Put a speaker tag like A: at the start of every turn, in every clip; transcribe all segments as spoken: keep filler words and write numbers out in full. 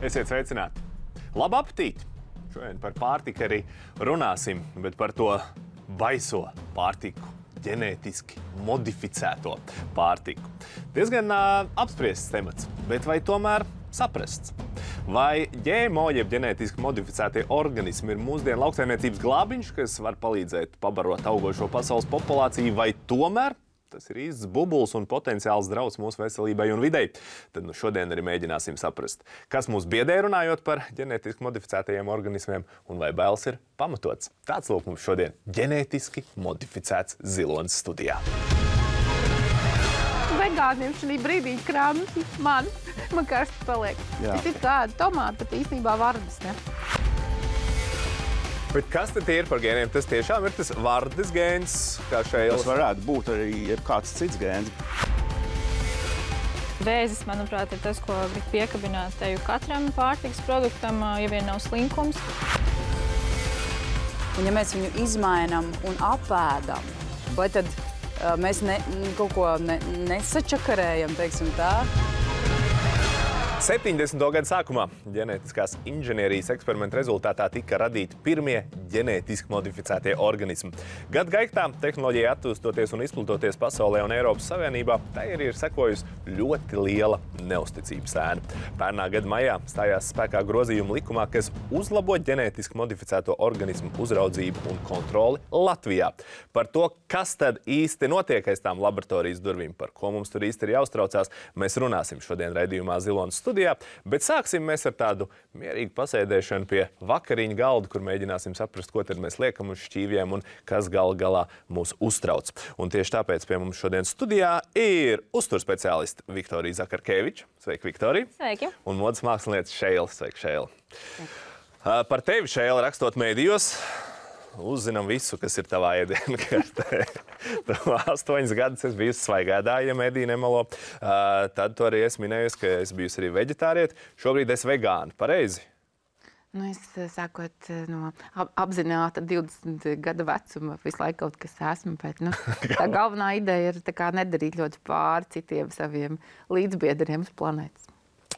A: Esiet sveicināti! Labu apetīti! Šodien par pārtiku arī runāsim, bet par to baiso pārtiku, ģenētiski modificēto pārtiku. Diezgan uh, apspriests temats, bet vai tomēr saprasts? Vai G M O jeb ģenētiski modificētie organismi ir mūsdienu lauksaimniecības glābiņš, kas var palīdzēt pabarot augošo pasaules populāciju, vai tomēr tas ir īsts bubuls un potenciāls drauds mūsu veselībai un videi? Tad nu šodien arī mēģināsim saprast, kas mūs biedē runājot par ģenētiski modificētajiem organismiem un vai bailes ir pamatots. Tāds lūk mums šodien ģenētiski modificēts zilonis studijā.
B: Vegāniem šī brīdī kramti man, man karsti paliek.
C: Jā.
B: Tas ir kāda tomāta, bet īstenībā vardas, ne?
A: Bet kas tad ir par gēniem? Tas tiešām ir tas vardes gēns, kā šeit.
C: Tas varētu būt arī kāds cits gēns.
D: Vēzis, manuprāt, ir tas, ko grib piekabināt teju katram pārtikas produktam, ja vien nav slinkums.
E: Un ja mēs viņu izmainām un apēdam, vai tad uh, mēs ne, kaut ko ne, nesačakarējam, teiksim tā?
A: septiņdesmito gadu sākumā ģenētiskās inženierijas eksperimentu rezultātā tika radīti pirmie ģenētiski modificētie organismi. Gadu gaitā tehnoloģija attīstoties un izplatoties pasaulē un Eiropas Savienībā, tai arī ir sekojusi ļoti liela neusticības ēna. Pērnā gada maijā stājās spēkā grozījuma likumā, kas uzlabo ģenētiski modificēto organismu uzraudzību un kontroli Latvijā. Par to, kas tad īsti notiek aiz tām laboratorijas durvīm, par ko mums tur īsti ir jāuztraucās, mēs runāsim šodien raidījumā Zilonis studijā, bet sāksim mēs ar tādu mierīgu pasēdēšanu pie vakariņu galda, kur mēģināsim saprast, ko tad mēs liekam uz šķīviem un kas gal galā mūs uztrauc. Un tieši tāpēc pie mums šodien studijā ir uzturspeciālisti Viktorija Zakarkeviča. Sveiki, Viktorija!
D: Sveiki!
A: Un modes mākslinieca Šeila. Sveiki, Šeila! Par tevi, Šeila, rakstot mēdījos, uzzinām visu, kas ir tavā ēdienu kartē. Astoņas gadus es biju svaigādāja, ja mediji nemelo. Uh, tad tu arī esi minējusi, ka es biju arī veģetārieti. Šobrīd es vegāni. Pareizi?
B: Nu, es sākot no ap- apzināta divdesmit gadu vecuma visu laiku kaut kas esmu, bet nu, tā galvenā ideja ir tā kā nedarīt ļoti pāri citiem saviem līdzbiedriem uz planētas.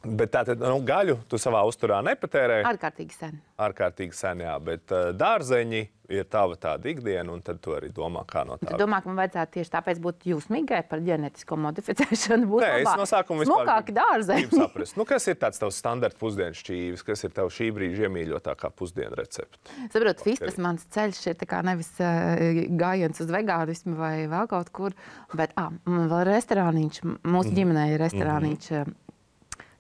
A: Bet tātad, nu, gaļu tu savā uzturā nepatērēji?
B: Ārkārtīgi sen.
A: Ārkārtīgi sen, jā, bet uh, dārzeņi ir tava tāda ikdiena, un tad tu arī domā, kā no tā.
B: Tu domā, ka man vajadzētu tieši tāpēc būt jūsmīgai par ģenētisko modificēšanu? Būt
A: Nē, es no sākuma vispār
B: smukāki dārzeņi.
A: gribu saprast. Nu, kas ir tāds tavs standarta pusdienas šķīvis? Kas ir tev šī brīža iemīļotākā pusdienu recepte?
B: Saprot, vistas mans ceļš ir tā kā nevis uh, gājiens uz vegānismu vai vēl kaut kur, bet ah, man vēl restorāniņš, mūsu ģimenē ir restorāniņš uh,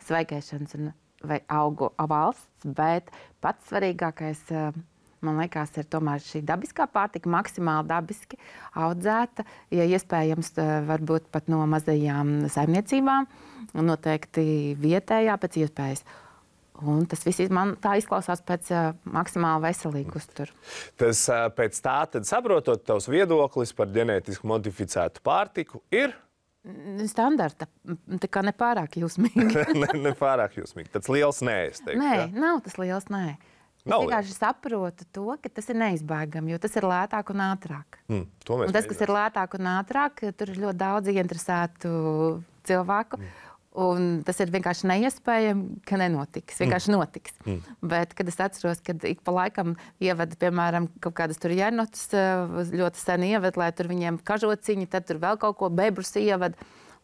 B: svaigēšanas un vai augu valsts, bet pats svarīgākais, uh, man liekas, ir tomēr šī dabiskā pārtika, maksimāli dabiski audzēta, ja iespējams, uh, varbūt pat no mazajām saimniecībām, noteikti vietējā pēc iespējas. Un tas viss man tā izklausās pēc uh, maksimāli veselīgu uzturu.
A: Tas uh, pēc tā, tad saprotot, tavs viedoklis par ģenētiski modificētu pārtiku ir?
B: Standarta, tā kā nepārāk jūsmīgi.
A: ne, ne pārāk jūsmīgi. Tāds liels nē, es teiktu.
B: Nē,
A: jā?
B: nav tas liels nē. Es
A: Nav
B: vienkārši saprotu to, ka tas ir neizbēgami, jo tas ir lētāk un ātrāk.
A: Mm, to mēs
B: Un tas, kas ir lētāk un ātrāk, tur ir ļoti daudz ieinteresētu cilvēku. Mm. Un tas ir vienkārši neiespējami, ka nenotiks. Vienkārši mm. notiks. Mm. Bet, kad es atceros, kad ik pa laikam ievada, piemēram, kaut kādas tur jēnotus, ļoti sen ievada, lai tur viņiem kažociņi, tad tur vēl kaut ko bebrus ievada.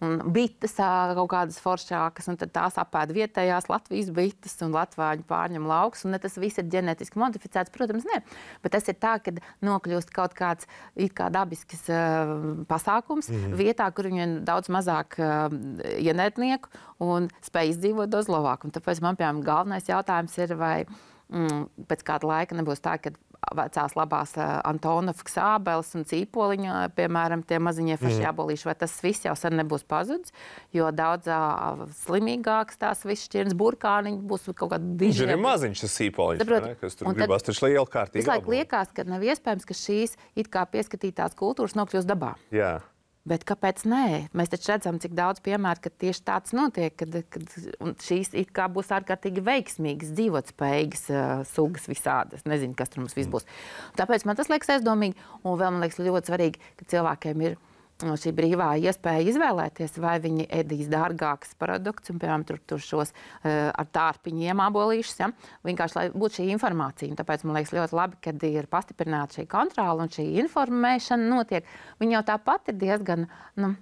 B: Un bites kaut kādas foršākas, un tad tās apēd vietējās Latvijas bites, un latvāņi pārņem lauks, un ne tas viss ir ģenētiski modificēts, protams, ne. Bet tas ir tā, kad nokļūst kaut kāds it kā dabisks uh, pasākums mm. vietā, kur viņiem daudz mazāk uh, ienētnieku un spēj izdzīvot daudz labāk. Un tāpēc man, piemēram, galvenais jautājums ir, vai mm, pēc kāda laika nebūs tā, ka vecās labās uh, Antonovas ābeles un cīpoliņa, piemēram, tie maziņie faši jābolīši, vai tas viss jau sen nebūs pazudis, jo daudz uh, slimīgāks tās viss šķirnes burkāniņi būs kaut kādi
A: Viņš
B: diži.
A: ir maziņš tas cīpoliņš,
B: Saprot,
A: ne, kas tur
B: un
A: gribās taču liela kārtīgi.
B: Visu laiku liekas, ka nav iespējams, ka šīs it kā pieskatītās kultūras nokļūst dabā.
A: Jā.
B: Bet kāpēc nē? Mēs taču redzam, cik daudz piemēru, ka tieši tāds notiek, kad, kad un šīs it kā būs ārkārtīgi veiksmīgas, dzīvotspējīgas uh, sugas visādas. Nezinu, kas tur mums viss būs. Tāpēc man tas liekas aizdomīgi. Un vēl man liekas ļoti svarīgi, ka cilvēkiem ir šī brīvā iespēja izvēlēties, vai viņi ēdīs dārgākus produktus, un, piemēram, tur, tur šos uh, ar tārpiņiem abolīšus, ja? Vienkārši, lai būtu šī informācija. Un tāpēc man liekas ļoti labi, kad ir pastiprināta šī kontrola un šī informēšana notiek. Viņi jau tāpat ir diezgan, nu,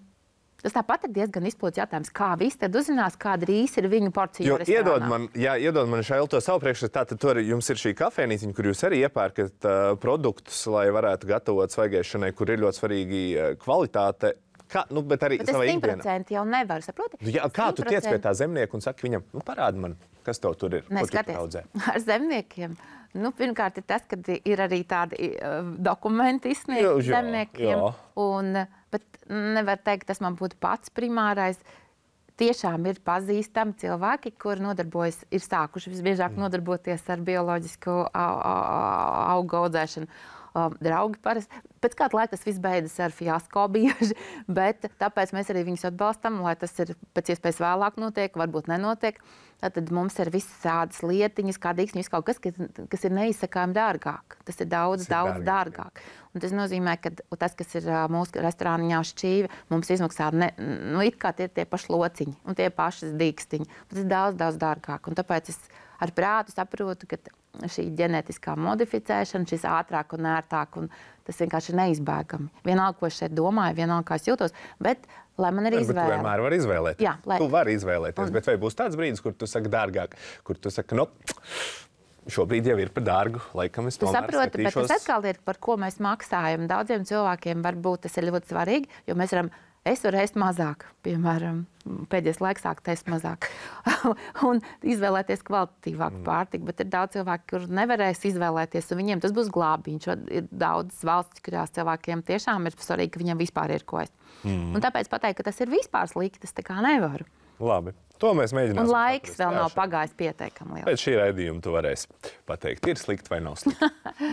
B: tas tāpat ir diezgan izplūdes jautājums, kā visi tad uzzinās, kāda rīs ir viņu porcija restorānā.
A: Iedod man, jā, iedod man Šaila to savu priekšstatu, tātad tur jums ir šī kafejnīciņa, kur jūs arī iepērkat uh, produktus, lai varētu gatavot svaigēšanai, kur ir ļoti svarīgi uh, kvalitāte. Kā, nu, bet arī
B: bet
A: savā
B: ikdienā.
A: ikdienā.
B: simt procenti jau nevar, saproti?
A: Jā, kā tu tiec pie tā zemnieka un saki viņam, nu parādi man, kas tev tur ir,
B: Nē,
A: ko tu
B: skaties,
A: audzē?
B: ar zemniekiem. Nu, pirmkārt, ir tas, ka ir arī tādi uh, dokumenti izsniegti zemniekiem. Jā. Un, bet nevar teikt, tas man būtu pats primārais. Tiešām ir pazīstami cilvēki, kuri nodarbojas, ir sākuši visbiežāk mm. nodarboties ar bioloģisku augu audzēšanu. Um, draugi parasti. Pēc kāda laika tas viss beidzas ar fiasko bieži, bet tāpēc mēs arī viņus atbalstam, lai tas ir pēc iespējas vēlāk notiek, varbūt nenotiek. Tad mums ir visas tādas lietiņas, kā dīksņi, kaut kas, kas, kas ir neizsakājami dārgāk. Tas ir daudz, tas daudz ir dārgāk. dārgāk. Un tas nozīmē, ka tas, kas ir mūsu restorāniņā šķīvi, mums izmaksā, ne, nu, it kā tie ir tie paši lociņi un tie paši dīkstiņi. Tas ir daudz, daudz dārgāk. Un tāpēc es ar prātu saprotu, ka šī ģenētiskā modificēšana, šis ātrāk un ērtāk, un tas vienkārši ir neizbēgami. Vienalga, ko es šeit domāju, vienalga, kā es jūtos, bet lai man ir
A: Jā,
B: izvēle.
A: Tu vienmēr vari izvēlēties.
B: Jā, lai...
A: Tu vari izvēlēties,
B: un...
A: bet vai būs tāds brīdis, kur tu saki dārgāk, kur tu saki, nu, šobrīd jau ir par dārgu, laikam es tomēr
B: saprotu,
A: skatīšos.
B: Bet tas atkal ir, par ko mēs maksājam. Daudziem cilvēkiem varbūt tas ir ļoti svarīgi, jo mēs varam, es varu ēst mazāk, piemēram, pēdējais laiks sāk ēst mazāk un izvēlēties kvalitatīvāku mm. pārtiku, bet ir daudz cilvēku, kur nevarēs izvēlēties, un viņiem tas būs glābiņš. Ir daudz valsts, kurās cilvēkiem tiešām ir svarīgi, ka viņiem vispār ir ko ēst. Mm. Un tāpēc pateikt, ka tas ir vispār slikti, tas tā kā nevaru.
A: Labi. To mēs mēģināsim.
B: Un laiks
A: saprast.
B: vēl
A: Jā,
B: nav pagājis pietiekami liels.
A: Pēc šī raidījuma tu varēsi pateikt, ir slikti vai nav slikti.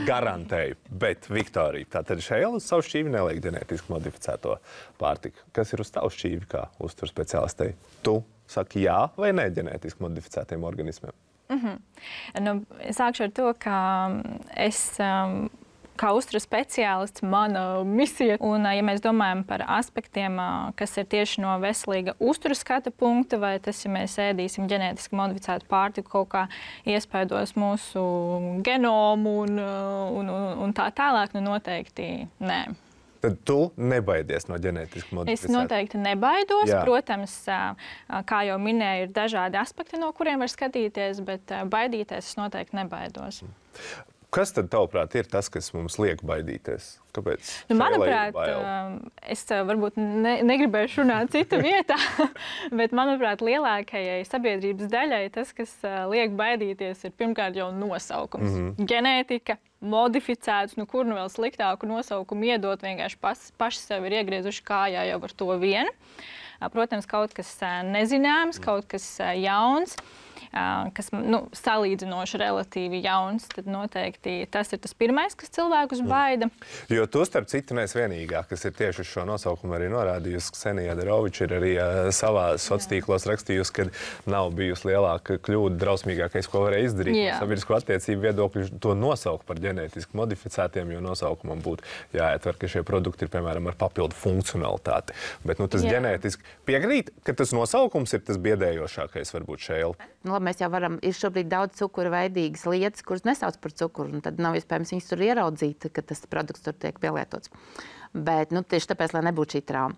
A: Garantēju. Bet, Viktorija, tātad Šaila uz savu šķīvi neliek ģenētiski modificēto pārtiku. Kas ir uz tavu šķīvi kā uzturu speciālistei? Tu saki jā vai nē ģenētiski modificētiem organismiem?
D: Mm-hmm. Nu, sākšu ar to, ka es... Um, Kā uzturu speciālists, mana misija. Un, ja mēs domājam par aspektiem, kas ir tieši no veselīga uzturu skata punkta, vai tas, ja mēs ēdīsim ģenētiski modificētu pārtiku, kaut kā iespaidos mūsu genomu un, un, un, un tā tālāk, nu noteikti nē.
A: Tad tu nebaidies no ģenētiski modificēta?
D: Es noteikti nebaidos.
A: Jā.
D: Protams, kā jau minēju, ir dažādi aspekti, no kuriem var skatīties, bet baidīties es noteikti nebaidos.
A: Kas tad, tavuprāt, ir tas, kas mums liek baidīties? Kāpēc?
D: Nu, manuprāt, es varbūt ne, negribēšu runāt cita vietā, bet, manuprāt, lielākajai sabiedrības daļai tas, kas liek baidīties, ir pirmkārt jau nosaukums. Mm-hmm. Ģenētika, modificēts, nu kur nu vēl sliktāku nosaukumu iedot, vienkārši pas, paši sev ir iegriezuši kājā jau ar to vienu. Protams, kaut kas nezināms, kaut kas jauns. Kas nu, salīdzinoši relatīvi jauns, tad noteikti tas ir tas pirmais, kas cilvēkus baida.
A: Jo tu, starp citu, neesi vienīgā, kas ir tieši uz šo nosaukumu arī norādījusi. Ksenija Adaroviča ir arī uh, savā sociālos tīklos rakstījusi, ka nav bijusi lielāka kļūda, drausmīgākais, ko varēja izdarīt. No sabiedrisko attiecību viedokļu to nosaukt par ģenētiski modificētiem, jo nosaukumam būtu jāietver, ka šie produkti ir, piemēram, ar papildu funkcionalitāti. Bet nu, tas Jā. ģenētiski piekrīt, ka tas nosaukums ir tas biedējošākais, varbūt Šaila.
B: Nu, mēs jau varam, ir šobrīd daudz cukura veidīgas lietas, kuras nesauc par cukuru, un tad nav iespējams viņus tur ieraudzīt, ka tas produkts tur tiek pielietots. Bet, nu, tieši tāpēc, lai nebūtu šī trauma.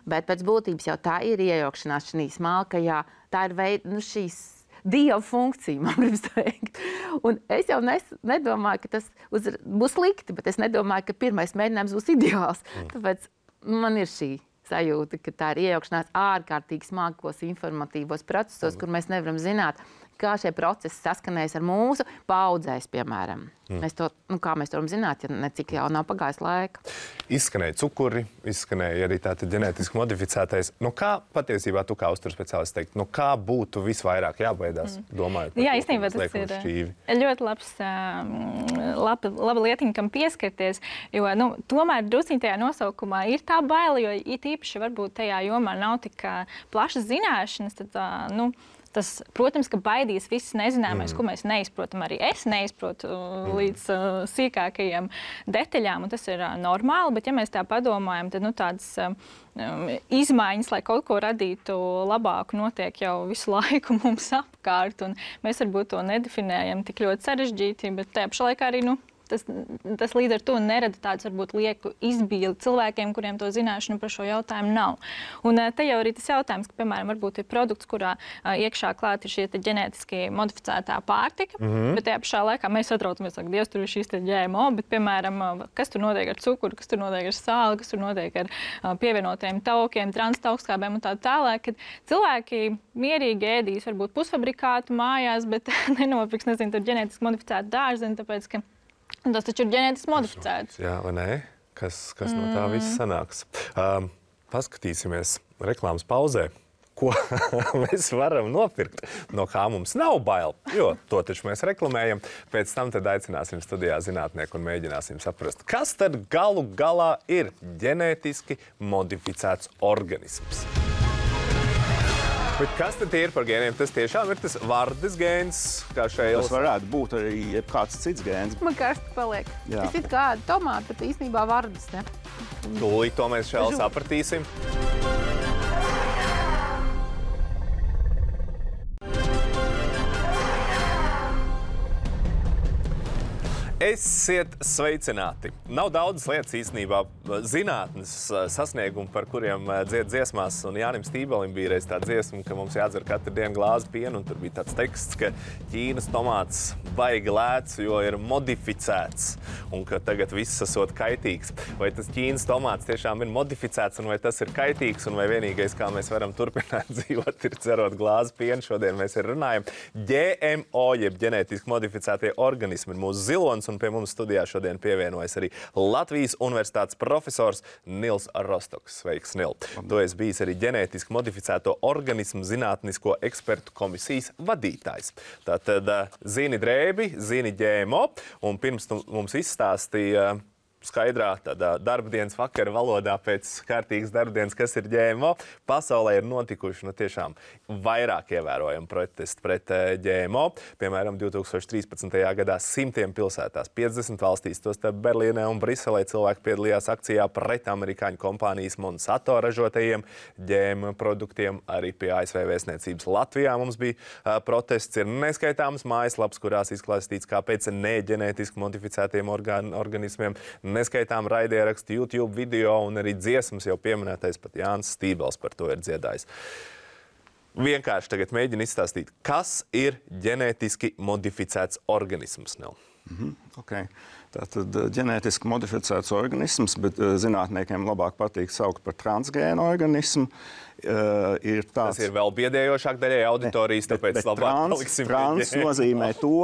B: Bet pēc būtības jau tā ir iejaukšanās šī smalkajā, tā ir veid, nu, šīs dieva funkcija, man gribas teikt. Un es jau nes, nedomāju, ka tas uz, būs slikti, bet es nedomāju, ka pirmais mēģinājums būs ideāls. Mm. Tāpēc man ir šī sajūta, ka tā ir iejaukšanās ārkārtīgi smalkos informatīvos procesos, mm. kur mēs nevaram zināt, kā šie procesi saskanējas ar mūsu paudzēs, piemēram. Mm. Mēs to, nu, kā mēs to varam zināt, ja necik jau nav pagājis laika.
A: Izskanēja cukuri, izskanēja arī tātad ģenētiski modificētais. Nu, kā patiesībā tu kā uzturu speciālists teikt, nu, kā būtu visvairāk jābaidās, mm. domājot par
D: Jā,
A: to,
D: īstenībā tas ir
A: šķīvi?
D: Ļoti labs, laba, laba lietiņa, kam pieskarties, jo, nu, tomēr drusciņ tajā nosaukumā ir tā baila, jo it īpaši varbūt tajā jomā nav tik plašas zināšanas, tad, nu, Tas, protams, ka baidīs viss nezināmais, mm. ko mēs neizprotam. Arī es neizprotu mm. līdz uh, sīkākajiem detaļām, un tas ir uh, normāli. Bet, ja mēs tā padomājam, tad nu, tādas uh, izmaiņas, lai kaut ko radītu labāku, notiek jau visu laiku mums apkārt. Un mēs varbūt to nedefinējam tik ļoti sarežģīti, bet tajā pašā laikā arī nu, Tas, tas līdz ar to nerada tāds, varbūt, lieku izbīli cilvēkiem, kuriem to zināšanu par šo jautājumu nav. Un te jau arī tas jautājums, ka, piemēram, varbūt ir produkts, kurā iekšā klāt ir šī ģenētiski modificētā pārtika, mm-hmm. bet tajā pašā laikā mēs satraucamies, ka Dievs tur ir šīs G M O, bet, piemēram, kas tur notiek ar cukuru, kas tur notiek ar sāli, kas tur notiek ar pievienotiem taukiem, transtaukskābēm un tā tālāk, kad cilvēki mierīgi ēdīs varbūt pusfabrikātu mājās, bet nenopirks, nezinu, tur ģenētiski modificētu dārziņu, tāpēc, ka tas taču ir ģenētiski modificēts.
A: Jā, vai nē? Kas, kas no tā viss sanāks? Um, paskatīsimies reklāmas pauzē, ko mēs varam nopirkt, no kā mums nav bail, jo to taču mēs reklamējam. Pēc tam tad aicināsim studijā zinātnieku un mēģināsim saprast, kas tad galu galā ir ģenētiski modificēts organisms. Bet kas tad ir par gēniem? Tas tiešām ir tas vardes gēns, kā šeit.
C: Tas varētu būt arī kāds cits gēns.
B: Man karsti paliek. Jā. Tas ir kā tomāti, bet īstenībā vardes, ne?
A: Tūlīt to mēs šeit sapratīsim. Esiet sveicināti! Nav daudzas lietas īstenībā zinātnes sasniegumi, par kuriem dzied dziesmās, un Jānim Stībelim bija reiz tā dziesma, ka mums jādzer katru dienu glāzi pienu, un tur bija tāds teksts, ka Ķīnas tomāts baigi lēts, jo ir modificēts, un ka tagad viss esot kaitīgs. Vai tas Ķīnas tomāts tiešām ir modificēts, un vai tas ir kaitīgs, un vai vienīgais, kā mēs varam turpināt dzīvot, ir cerot glāzi pienu. Šodien mēs ir runājam. G M O, jeb ģenētiski modificētie organismi, ir mūsu zilonis, un pie mums studijā šodien pievienojas arī Latvijas Universitātes profesors Nils Rostoks. Sveiks, Nil! Tu esi bijis arī ģenētiski modificēto organismu zinātnisko ekspertu komisijas vadītājs. Tātad zini drēbi, zini G M O, un pirms tu mums izstāstīja skaidrā tādā darbdienas vakara valodā pēc kārtīgas darbdienas, kas ir G M O, pasaulē ir notikuši nu, tiešām vairāk ievērojami protesti pret G M O. Piemēram, divi tūkstoši trīspadsmitajā gadā simtiem pilsētās, piecdesmit valstīs, tostarp Berlīnē un Briselē cilvēki piedalījās akcijā pret amerikāņu kompānijas Monsanto ražotajiem G M O produktiem. Arī pie A S V vēstniecības Latvijā mums bija uh, protests. Ir neskaitāmas mājaslapas, kurās izklāstīts, kāpēc neģenētiski modificētiem organ organismiem, neskaitām raidierakstu, YouTube video un arī dziesmas jau pieminētais pat Jānis Stībels par to ir dziedājis. Vienkārši tagad mēģinu izstāstīt, kas ir ģenētiski modificēts organisms, Nel?
C: Mm-hmm. Okay. Tātad ģenētiski modificēts organisms, bet zinātniekiem labāk patīk saukt par transgēnu organismu. Uh, ir tāds...
A: Tas ir vēl biedējošāk daļai auditorijas,
C: ne,
A: tāpēc
C: bet,
A: labāk
C: trans,
A: paliksim.
C: Trans nozīmē to,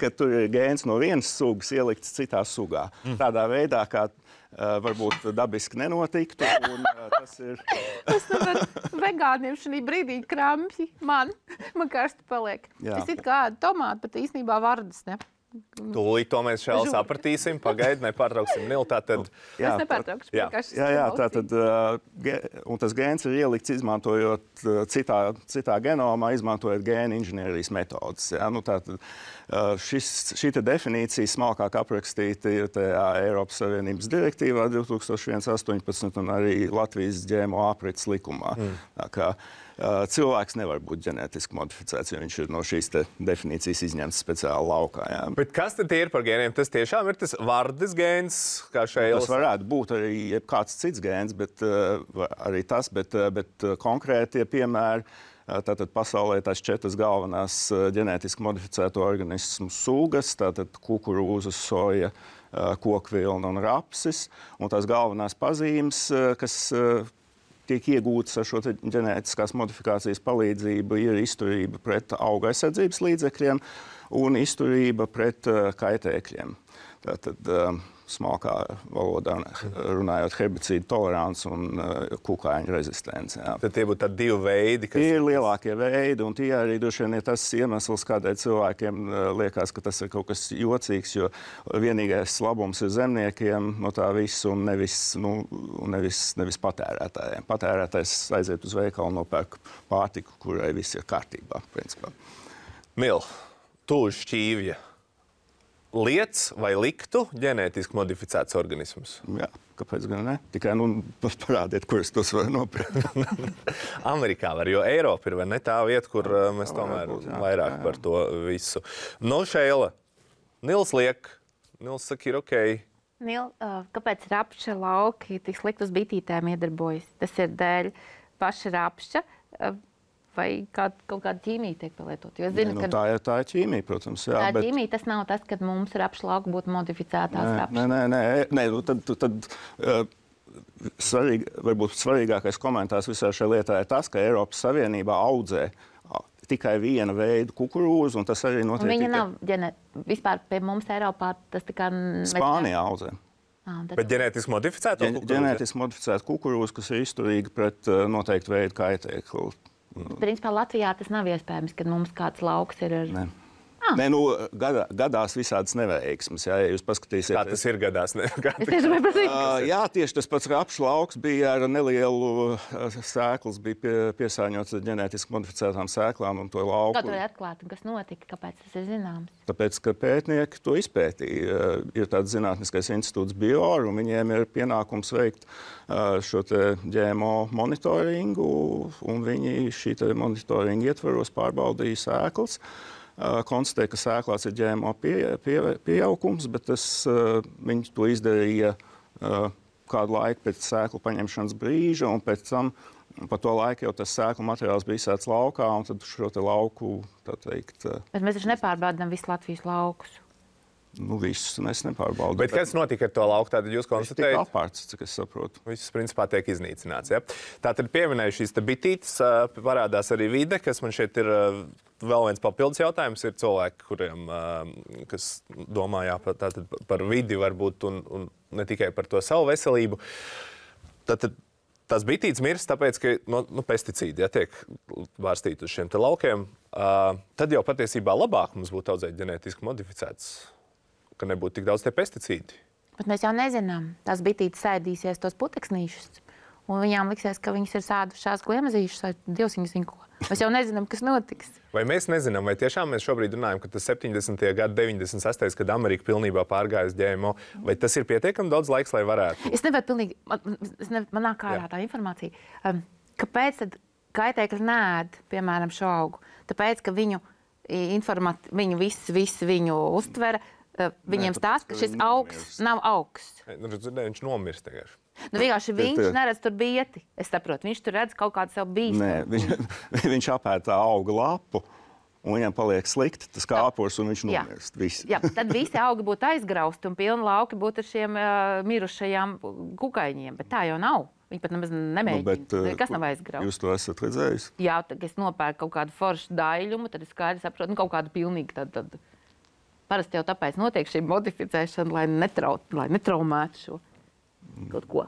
C: ka tur ir gēns no vienas sugas ielikts citā sugā. Mm. Tādā veidā, kā uh, varbūt dabiski nenotiktu. Un, uh, tas ir...
B: Tas tāpēc vegāniem šī brīdī krampji man, man karsti paliek. Jā. Tas ir kā tomāti, bet īstenībā vardes, ne?
A: Tūlīt to mēs šeit sapratīsim. Pagaidi, nepārtrauksim Nilu. Tātad...
B: Jā, es nepārtraukšu.
C: Jā, jā, jā tātad, un tas gēns ir ielikts izmantojot citā, citā genomā, izmantojot gēnu inženierijas metodas. Jā, nu, tātad, šis, šī definīcija smalkāk aprakstīta ir tajā Eiropas Savienības direktīvā divi tūkstoši astoņpadsmit un arī Latvijas G M O aprits likumā. Mm. Tā kā, Uh, cilvēks nevar būt ģenētiski modificēts, jo viņš ir no šīs definīcijas izņemts speciāli laukā. Jā.
A: Bet kas tad ir par gēniem? Tas tiešām ir tas vardes gēns, kā šeit?
C: Tas varētu būt arī kāds cits gēns, bet uh, arī tas, bet, uh, bet uh, konkrētie piemēri. Uh, tātad pasaulē tās četras galvenās uh, ģenētiski modificēto organismu sugas, tātad kukurūzas, soja, uh, kokvilna un rapsis. Un tās galvenās pazīmes, uh, kas uh, tiek iegūtas ar šo ģenētiskās modifikācijas palīdzību, ir izturība pret auga aizsardzības līdzekļiem un izturība pret uh, kaitēkļiem. Tātad, uh, smalkā valodā runājot, herbicīdu tolerants un uh, kukaiņu rezistence. Jā.
A: Tad tie būtu tādi divi veidi, kas...
C: Tie ir lielākie veidi, un tie arī droši vien ir tas iemesls, kādēļ cilvēkiem uh, liekas, ka tas ir kaut kas jocīgs, jo vienīgais labums ir zemniekiem no tā viss un nevis, nu, nevis, nevis patērētājiem. Patērētājs aiziet uz veikalu un nopērk pārtiku, kurai viss ir kārtībā, principā.
A: Mil, tu uz šķīvja liec vai liktu ģenētiski modificēts organismus?
C: Jā, kāpēc gan ne? Tikai nu, parādiet, kur es tos varu nopirkt.
A: Amerikā var, jo Eiropa ir vai ne tā vieta, kur uh, mēs tomēr
C: varbūt, jā,
A: vairāk
C: jā, jā.
A: par to visu. Nu, Šeila, Nils liek, Nils saka, ir okei.
B: Nil, uh, kāpēc rapša lauki tik slikti uz bitītēm iedarbojas? Tas ir dēļ paša rapša uh, vai kā, kaut kāda ķīmija tiek pielietot? Jo es zinu,
C: Nu,
B: ka
C: tā, ir, tā ir ķīmija, protams. Jā,
B: tā
C: bet...
B: ķīmija tas nav tas, kad mums rapša lauki būtu modificētās
C: Nē,
B: rapšas.
C: nē, nē, nē, nē nu, tad, tad uh, svarīgi, varbūt svarīgākais komentārs visā šajā lietā ir tas, ka Eiropas Savienībā audzē uh, tikai viena veida kukurūzu, un tas arī notiek
B: Viņa
C: tikai...
B: nav ģene... vispār pie mums Eiropā tas tā kā...
C: Spānijā audzē.
B: Ah, tad...
A: Bet ģenētiski modificēto
C: Ģen,
A: kukurūzu?
C: ģenētiski modificēta kukurūza, kas ir izturīga pret uh, noteiktu veidu kaitēklu.
B: Principā Latvijā tas nav iespējams, kad mums kāds lauks ir ar...
C: Ne. Nē, nu, gadā, gadās visādas neveiksmes. Jā, ja jūs paskatīsieties,
A: Kā tas ir gadās? Ne? Kā
B: Es tieši gribēju pateikt.
C: Uh, jā, tieši tas pats rapšu lauks bija ar nelielu uh, sēklas, bija pie, piesārņots ar ģenētiski modificētām sēklām un to lauku.
B: Kā to var atklāt un kas notika? Kāpēc tas ir zināms?
C: Tāpēc, ka pētnieki to izpētīja. Uh, ir tāds zinātniskais institūts Bior, un viņiem ir pienākums veikt uh, šo te G M O monitoringu, un viņi šī te monitoringa ietvaros pārbaudīja sēklas. Uh, konstatēja, ka sēklās ir G M O pie, pie, pieaugums, bet tas, uh, viņi to izdarīja uh, kādu laiku pēc sēklu paņemšanas brīža, un pēc tam pa to laiku jau tas sēklu materiāls bija izsēts laukā, un tad šo te lauku, tā teikt, uh,
B: Bet mēs taču nepārbaudām visu Latvijas laukus.
C: nu visus es nepārbaudīju.
A: Bet kas notika ar to lauku? Tātad jūs
C: Tas tika
A: konstatējat?
C: apārts, cik es saprotu.
A: Viss principā tiek iznīcināts. Ja? Tātad pieminēju šīs te bitītes, ā, parādās arī vide, kas man šeit ir ā, vēl viens papildus jautājums. Ir cilvēki, kuriem, ā, kas domā jā, par, tātad par vidi varbūt un, un ne tikai par to savu veselību. Tātad tās bitītes mirst tāpēc, ka no, nu, pesticīdi ja, tiek vārstīti uz šiem te laukiem. Uh, tad jau patiesībā labāk mums būtu audzēt ģenētiski modificēts, ka nebūtu tik daudz tie pesticīdi.
B: Bet mēs jau nezinām. Tās bitītes sēdīsies tos puteksnīšus, un viņām liksies, ka viņas ir sēdušās gliemezīšus vai Dievs viņas zina ko. Mēs jau nezinām, kas notiks.
A: Vai mēs nezinām, vai tiešām mēs šobrīd runājam, ka tas septiņdesmitie gadi, deviņdesmit sestais kad Amerika pilnībā pārgāja uz G M O, vai tas ir pietiekami daudz laiks, lai varētu?
B: Es nevaru pilnīgi, man, es ne, man nāk ārā tā informācija. Um, kāpēc tad kaitēkļi neēd, piemēram, šo augu? Tāpēc, ka viņu, informat, viņu viss, viss viņu uztvera, uh, viņiem
C: tāpēc,
B: stāsta,
C: ka
B: ka šis
C: viņi
B: augs
C: nomirst.
B: nav augs.
A: Nu, ne, viņš nomirst vienkārši.
B: Nu, vienkārši viņš
C: tie-
B: neredz tur bieti. Es saprotu, viņš tur redz kaut kādu savu bīstamu.
C: Nē, viņš, viņš apēd tā auga lapu, un viņam paliek slikti tas kāpurs, un viņš
B: Jā.
C: nomirst. Visi.
B: Jā, tad visi augi būtu aizgrausti un pilni lauki būtu ar šiem uh, mirušajām kukaiņiem. Bet tā jau nav. Viņi pat nemaz nemēģina.
C: bet, uh,
B: Nekas nav aizgrausts.
C: Jūs to esat redzējis?
B: Jā, tad, kad es nopērku kaut kādu foršu daļumu, tad es skaidri saprotu, nu, kaut kādu pilnīgi tādu. Tad... Parasti jau tāpēc notiek šī modificēšana, lai, netrau, lai netraumētu šo kaut ko.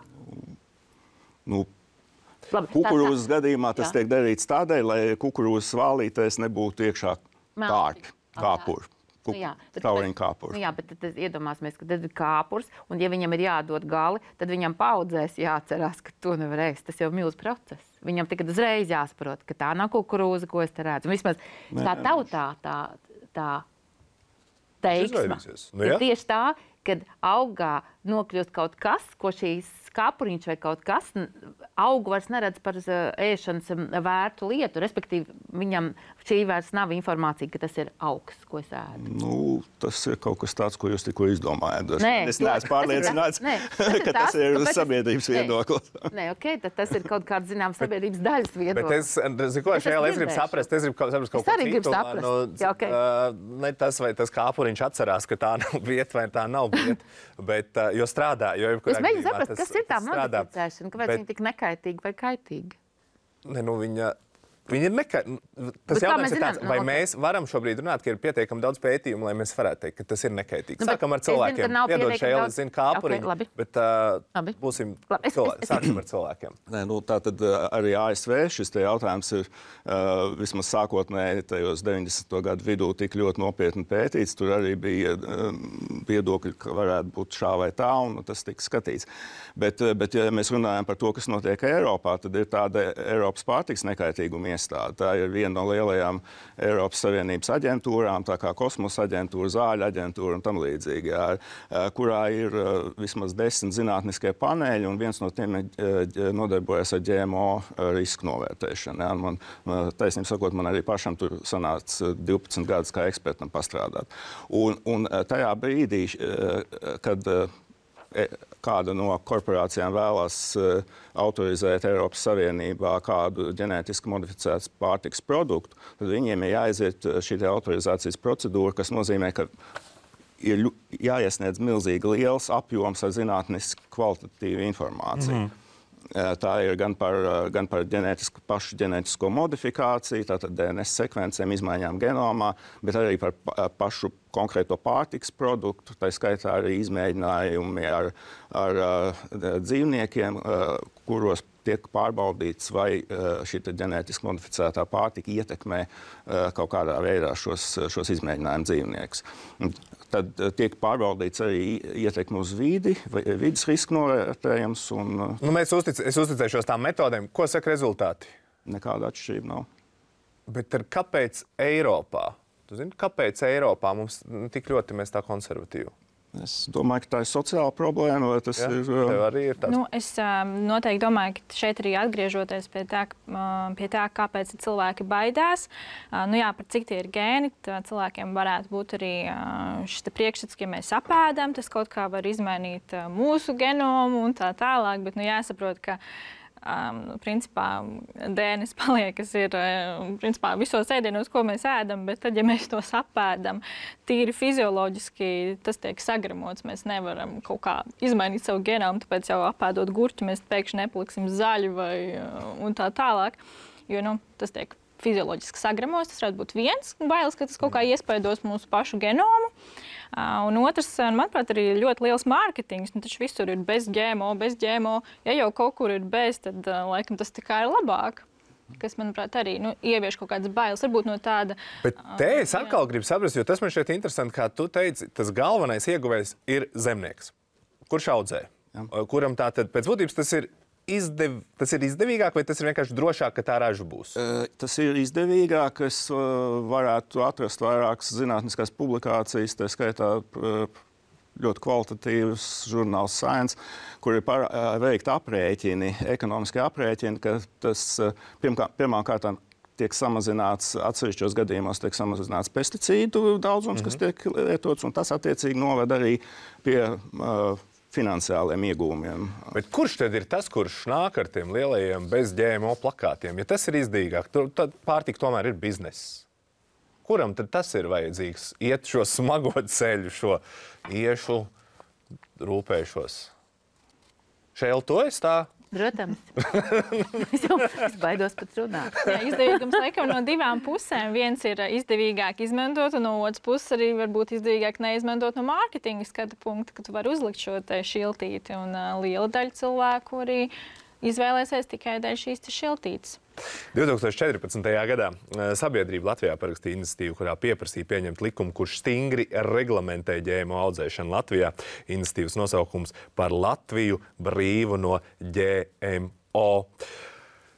C: Nu,
B: Labi,
C: kukurūzas gadījumā tas
B: Jā.
C: tiek darīts tādēļ, lai kukurūzas vālītēs nebūtu iekšā
B: Melti.
C: tārpi, kāpuri.
B: Nu, jā, bet
C: Tauriņu
B: tāpēc-
C: kāpuri.
B: Nu, jā, bet tad, tad iedomāsimies, ka tad ir kāpurs, un ja viņam ir jādod gali, tad viņam paudzēs jāatcerās, ka to nevar ēst. Tas jau ir milzīgs process. Viņam tikai uzreiz jāsaprot, ka tā nav kukurūza, ko es te redzu. Un vismaz
C: Nē,
B: tā
C: nē,
B: tautā tā, tā teiksme
A: izvairīsies. Nu,
B: ir
A: jā.
B: tieši tā, kad augā nokļūst kaut kas, ko šīs kāpuriņš vai kaut kas n- augu vairs neredz par uh, ēšanas um, vērtu lietu. Respektīvi, viņam šī vairs nav informācija, ka tas ir augs, ko es ēdu.
C: Nu, tas ir kaut kas tāds, ko jūs tikko izdomājāt.
B: Nē,
C: es
B: to-
C: neesmu pārliecināts,
B: Nē, tas ir
C: ka tas
B: tas,
C: ir
B: kāpēc es-
C: sabiedrības
B: Nē.
C: viedoklis.
B: Nē, ok, tad tas ir kaut kāds zināms sabiedrības daļas
A: Bet
B: viedoklis.
A: es, zinu, ko,
B: Es
A: šajā
B: esmu
A: es gribu
B: dzirdējusi.
A: saprast, es gribu kaut- saprast kaut
B: Es
A: ko
B: arī gribu
A: citu.
B: saprast.
A: Nu,
B: Jā, ok.
A: uh, ne tas, vai tas kāpuriņš atcerās, ka tā nav vieta vai tā nav vieta, bet, uh, jo strādā, jo jebkurā
B: Es mēģinu
A: gadījumā
B: saprast,
A: tas-
B: kas ir tā
A: tas strādā.
B: modificēšana, kāpēc
A: Bet-
B: viņa tik nekaitīga vai kaitīga.
A: Ne, nu, viņa Viņi ir neka... Tas
B: Bet kā
A: jautājums
B: mēs
A: ir tāds,
B: zinām?
A: vai
B: Nu, ok.
A: mēs varam šobrīd runāt, ka ir pietiekami daudz pētījumu, lai mēs varētu teikt, ka tas ir nekaitīgs.
B: Nu, bet
A: Sākam ar
B: es zinu, ka
A: cilvēkiem.
B: nav
A: Piedod,
B: pietiekami
A: Šeili,
B: daudz-
A: zinu, kā apuriņi,
B: Ok, labi.
A: bet uh,
B: Labi.
A: būsim
B: Labi, es-
A: cilvēki.
B: es-
A: Sāksim ar cilvēkiem.
C: Nē, nu, tā tad uh, arī A S V šis te jautājums ir uh, vismaz sākotnēji tajos deviņdesmito gadu vidū tik ļoti nopietni pētīts. Tur arī bija uh, viedokļi, ka varētu būt šā vai tā, un tas tika skatīts. Bet, uh, bet ja mēs runājam par to, kas notiek Eiropā, tad ir tāda Eiropas pārtiks nekaitīguma iestāde. Tā ir viena no lielajām Eiropas Savienības aģentūrām, tā kā kosmosa aģentūra, zāļu aģentūra un tam līdzīgi, jā, kurā ir uh, vismaz desmit zinātniskie paneļi, un viens no tiem uh, nodarbojas ar G M O risku novērtēšanu. Jā. Man, taisnība sakot, man arī pašam tur sanāca divpadsmit gadus kā ekspertam pastrādāt. Un, un tajā brīdī, uh, kad uh, kāda no korporācijām vēlas uh, autorizēt Eiropas Savienībā kādu ģenētiski modificētu pārtikas produktu, tad viņiem ir jāaiziet šī autorizācijas procedūra, kas nozīmē, ka ir ļu, jāiesniedz milzīgi liels apjoms ar zinātniski kvalitatīvu informāciju. Mm-hmm. Tā ir gan par, gan par ģenētisku, pašu ģenētisko modifikāciju, tātad D N S sekvencēm, izmaiņām genomā, bet arī par pašu konkrēto pārtikas produktu, tā skaitā arī izmēģinājumi ar, ar, ar dzīvniekiem, kuros tiek pārbaudīts, vai šī ģenētiski modificētā pārtika ietekmē kaut kādā veidā šos, šos izmēģinājumu dzīvniekus. Tad tiek pārbaudīts arī ietekme uz vidi, vidas riska novērtējums. Un,
A: nu, mēs uztic, es uzticēšos tām metodēm. Ko saka rezultāti?
C: Nekāda atšķirība nav.
A: Bet ar kāpēc Eiropā? Tu zini, kāpēc Eiropā mums tik ļoti mēs tā konservatīvi?
C: Es domāju, ka tā ir sociāla problēma, vai tas
A: ja,
C: ir...
A: Tev arī ir tāds.
D: Nu, es um, noteikti domāju, ka šeit arī atgriežoties pie tā, uh, pie tā kāpēc cilvēki baidās. Uh, nu jā, par cik tie ir gēni, cilvēkiem varētu būt arī uh, šis priekšstats, ka ja mēs apēdam, tas kaut kā var izmainīt uh, mūsu genomu un tā tālāk, bet nu jāsaprot, ka Um, principā D N S paliek, kas ir um, principā, visos ēdienos, ko mēs ēdam, bet tad, ja mēs to apēdam, tīri fizioloģiski tas tiek sagramots. Mēs nevaram kaut kā izmainīt savu genomu, tāpēc jau apēdot gurķi, mēs pēkšņi nepaliksim zaļi vai un tā tālāk, jo nu, tas tiek fizioloģiski sagramos. Tas varētu būt viens bailes, ka tas kaut kā iespaidos mūsu pašu genomu. Uh, un otrs, manuprāt, arī ļoti liels mārketings. Nu, taču visur ir bez G M O, bez G M O. Ja jau kaut kur ir bez, tad uh, laikam tas tikai ir labāk. Kas, manuprāt, arī nu, ievieš kaut kādas bailes. Varbūt no tāda...
A: Bet te es atkal gribu saprast, jo tas man šķiet interesanti, kā tu teici, tas galvenais ieguvējs ir zemnieks. Kurš audzē? Jā. Kuram tā tad pēc būtības tas ir Izdev, tas ir izdevīgāk vai tas ir vienkārši drošāk, ka tā raža būs?
C: Tas ir izdevīgāk. Es varētu atrast vairākas zinātniskās publikācijas, tā skaitā ļoti kvalitatīvs žurnāls Science, kur ir par, veikti aprēķini, ekonomiski aprēķini, ka tas pirmā, pirmā kārtā tiek samazināts, atsevišķos gadījumos tiek samazināts pesticīdu daudzums, mm-hmm. kas tiek lietots, un tas attiecīgi noved arī pie uh, finansiāliem iegūmiem.
A: Bet kurš tad ir tas, kurš nāk ar tiem lielajiem bez G M O plakātiem? Ja tas ir izdevīgāk, tad pārtika tomēr ir bizness. Kuram tad tas ir vajadzīgs? Iet šo smago ceļu, šo iešu rūpēšos. Šeil, to es tā?
B: Protams. es jau es baidos pat runāt.
D: Jā, izdevīgums laikam no divām pusēm. Viens ir izdevīgāk izmantot, un no otras puses arī varbūt izdevīgāk neizmantot no mārketinga skatu punkta, ka tu vari uzlikt šo te šiltīti. Un uh, liela daļa cilvēku arī izvēlēsies tikai dēļ šīs šiltītes.
A: divtūkstoš četrpadsmitajā gadā sabiedrība Latvijā parakstīja iniciatīvu, kurā pieprasīja pieņemt likumu, kurš stingri reglamentē G M O audzēšanu Latvijā. Iniciatīvas nosaukums par Latviju brīvu no G M O.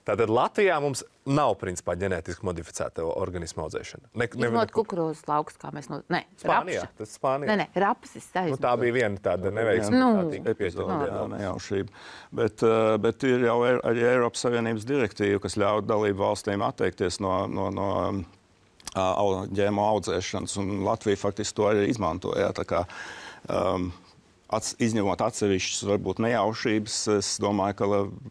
A: Tātad Latvijā mums nav principā ģenētiski modificēta organismu audzēšana. Ne, ne,
B: Izmot kukurūzas laukus, kā mēs no... Nē,
A: Spānijā.
B: rapša.
A: Tas Spānijā.
B: Nē, nē, rapsis tā
A: Nu, tā bija viena tāda neveiksme.
B: Nu.
A: Tā tika
C: Epizode,
A: pieņemta.
C: jā, nejaušība. Bet, uh, bet ir jau er, arī Eiropas Savienības direktīva, kas ļauj dalību valstīm atteikties no, no, no uh, G M O audzēšanas, un Latvija faktiski to arī izmantoja. Tā kā, um, Ats, izņemot atsevišķas, varbūt nejaušības, es domāju, ka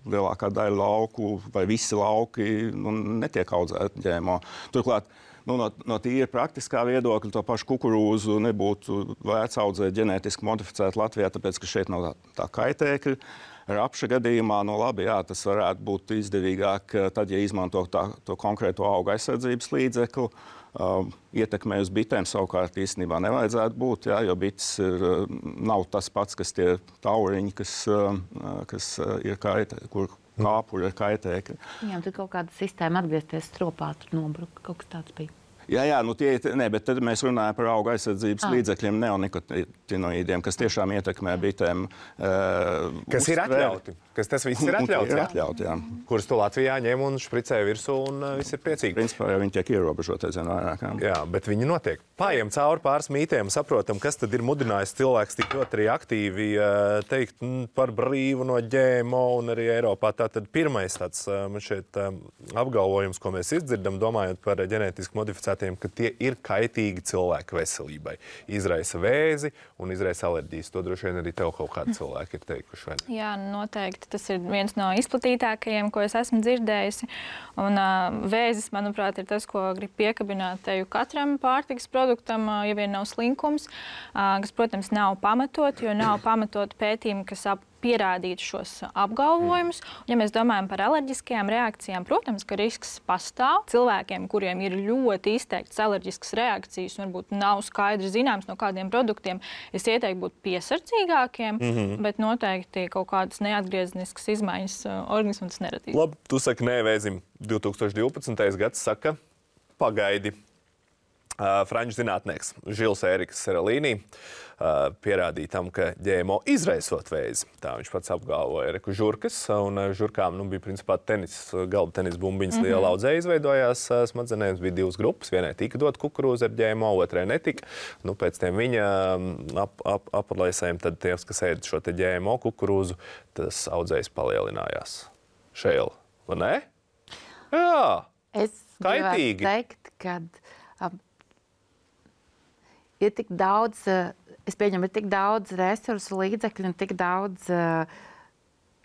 C: lielākā daļa lauku vai visi lauki nu, netiek audzēti G M O. Turklāt, nu, no, no tīri praktiskā viedokļa, to pašu kukurūzu nebūtu vērts audzēt ģenētiski modificēt Latvijā, tāpēc, ka šeit nav tā, tā kaitēkļa. rapša gadījumā, no labi, jā, tas varētu būt izdevīgāk tad, ja izmanto tā, to konkrēto auga aizsardzības līdzekli. Uh, ietekmē uz bitēm savukārt īstenībā nevajadzētu būt, jā, jo bites ir, nav tas pats, kas tie tauriņi, kas, uh, kas ir kaitē, kur kāpuri ir kaitēkļi.
B: Viņam tur kaut kāda sistēma atgriezties stropā, tur nobruka, kaut kas tāds bija.
C: Jā, jā, nu tie, ne, bet tad mēs runājam par auga aizsardzības ah. līdzekļiem, neonikotinoīdiem, kas tiešām ietekmē bitēm. Uh,
A: kas ir atļauti? Kas tas viss ir atļauts?
C: Ir atļauti, jā.
A: Kurus tu Latvijā ņem un špricē virsū un uh, viss ir priecīgi.
C: Principā jau viņi tiek ierobežoti, zinu, vairāk. Jā.
A: jā, bet viņi notiek. Pājiem cauri pāris mītiem, saprotam, kas tad ir mudinājis cilvēks tik ļoti arī aktīvi uh, teikt m, par brīvu no G M O un arī Eiropā. Tātad pirmais tāds uh, man šeit uh, apgalvojums, ko mēs izdzirdam, domājot par ģenētiski modificētiem, ka tie ir kaitīgi cilvēku veselībai. Izraisa vēzi un izraisa alerģijas. To droši vien arī tev kaut kādi cilvēki ir teikuši. Vai?
D: Jā, noteikti. Tas ir viens no izplatītākajiem, ko es esmu dzirdējusi. Un uh, vēzis, manuprāt, ir tas, ko grib piekabināt teju katram pārtikas produktam, uh, ja vien nav slinkums, uh, kas, protams, nav pamatot, jo nav pamatot pētījumi, kas ap pierādīt šos apgalvojumus. Ja mēs domājam par alerģiskajām reakcijām, protams, ka risks pastāv. Cilvēkiem, kuriem ir ļoti izteikts alerģiskas reakcijas un varbūt nav skaidri zināms no kādiem produktiem, es ieteiktu būt piesardzīgākiem, mm-hmm. bet noteikti kaut kādas neatgriezeniskas izmaiņas organismu tas neradīs.
A: Labi, tu saki nē vēzim. divi tūkstoši divpadsmitais gads saka pagaidi. Uh, franču zinātnieks Žils Ēriks Seralīnī uh, pierādīja tam, ka G M O izraisot vēzi. Tā viņš pats apgalvoja Eriku žurkas, un uh, žurkām nu, bija principā tenis, galda tenis bumbiņas mm-hmm. liela audzē izveidojās uh, smadzenēs. Bija divas grupas, vienai tika dot kukurūzu ar G M O, otrai netika. Nu, pēc tiem viņa ap, ap, aplēsēm, tad tie, kas ēd šo te G M O kukurūzu, tas audzējs palielinājās. Šēl, vai ne? Jā,
B: es
A: kaitīgi.
B: Es teikt, ka um, ir tik daudz, es pieņemu, ir tik daudz resursu, līdzekļu un tik daudz uh,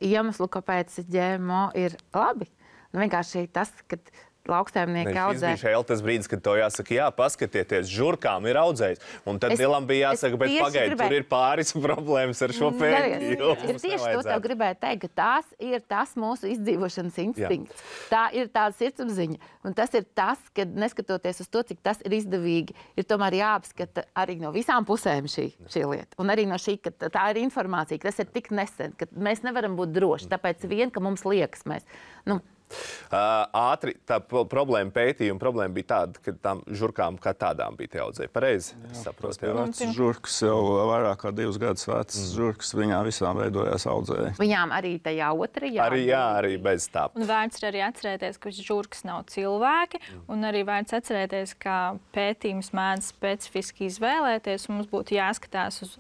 B: iemeslu, kāpēc G M O ir labi. Nu, vienkārši tas, ka lauksaimnieki audzē.
A: Šis bija šeit tas brīdis, kad to jāsaka, jā, paskatieties, žurkām ir audzējis. Un tad Vilam bija jāsaka, bet pagaidi, gribēju... tur ir pāris problēmas ar šo pētījumu.
B: Es tieši to tev gribēju teikt, ka tās ir tas mūsu izdzīvošanas instinkts. Jā. Tā ir tāda sirdsapziņa. Un tas ir tas, ka neskatoties uz to, cik tas ir izdevīgi, ir tomēr jāapskata arī no visām pusēm šī, šī lieta. Un arī no šī, ka tā ir informācija, ka tas ir tik nesen, ka mēs nevaram būt droši. Tāpēc vien, ka mums liekas, mēs... Nu,
A: Uh, ātri tā problēma pētījuma problēma bija tāda, ka tām žurkām kā tādām bija tie audzēji. Pareizi? Saprotu, jā.
C: Vecs žurkas jau vairāk kā divus gadus vecs mm. žurkas, viņām visām veidojās audzēji.
B: Viņām arī tajā otrajā?
A: Arī jā, arī bez tā.
D: Un vērts arī atcerēties, ka žurkas nav cilvēki, mm. un arī vērts atcerēties, ka pētījums mēdz specifiski izvēlēties, un mums būtu jāskatās uz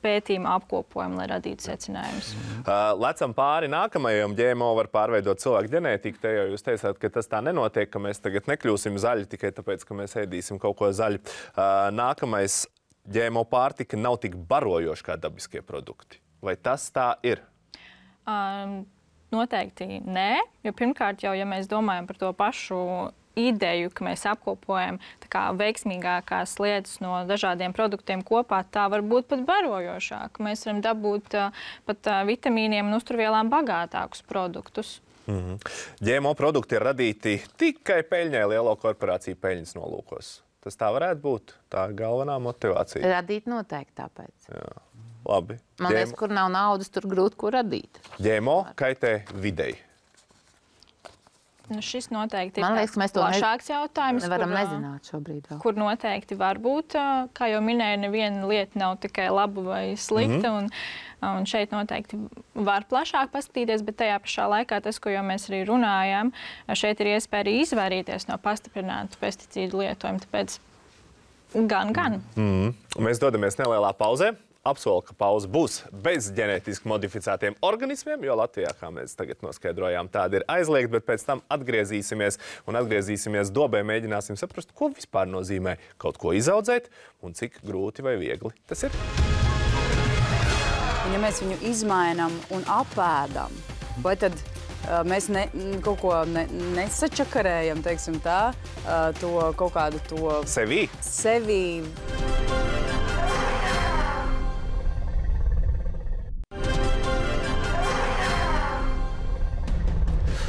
D: pētījuma apkopojumu, lai radītu secinājumus.
A: Uh, lecam pāri nākamajam. G M O var pārveidot cilvēku ģenētiku. Te jau jūs teicāt, ka tas tā nenotiek, ka mēs tagad nekļūsim zaļi tikai tāpēc, ka mēs ēdīsim kaut ko zaļu. Uh, nākamais G M O pārtika nav tik barojoša kā dabiskie produkti. Vai tas tā ir?
D: Um, noteikti nē, jo pirmkārt jau, ja mēs domājam par to pašu ideju, ka mēs apkopojam tā kā veiksmīgākās lietas no dažādiem produktiem kopā, tā var būt pat barojošāk. Mēs varam dabūt uh, pat uh, vitamīniem un uzturvielām bagātākus produktus.
A: Mm-hmm. G M O produkti ir radīti tikai peļņai, lielo korporāciju peļņas nolūkos. Tas tā varētu būt? Tā ir galvenā motivācija.
B: Radīt noteikti tāpēc.
A: Jā. Labi.
B: Man liekas, kur nav naudas, tur grūti ko radīt.
A: G M O kaitē videi.
D: Nu, šis noteikti
B: Man
D: ir
B: liekas, mēs to
D: plašāks jautājums.
B: Nevaram
D: kur,
B: nezināt šobrīd vēl.
D: Kur noteikti var būt, kā jau minēju, neviena lieta nav tikai laba vai slikta. Mm-hmm. un, un šeit noteikti var plašāk paskatīties, bet tajā pašā laikā tas, ko jau mēs arī runājām, šeit ir iespēja arī izvairīties no pastiprinātu pesticīdu lietojumu. Tāpēc gan, gan.
A: Mm-hmm. Mēs dodamies nelielā pauzē. Apsolu, ka pauze būs bez ģenētiski modificētiem organismiem, jo Latvijā, kā mēs tagad noskaidrojām, tāda ir aizliegta, bet pēc tam atgriezīsimies un atgriezīsimies dobē, mēģināsim saprast, ko vispār nozīmē kaut ko izaudzēt un cik grūti vai viegli tas ir.
E: Un ja mēs viņu izmainām un apēdam, vai tad uh, mēs ne, kaut ko ne, nesačakarējam, teiksim tā, uh, to kaut kādu to...
A: Sevī?
E: Sevī.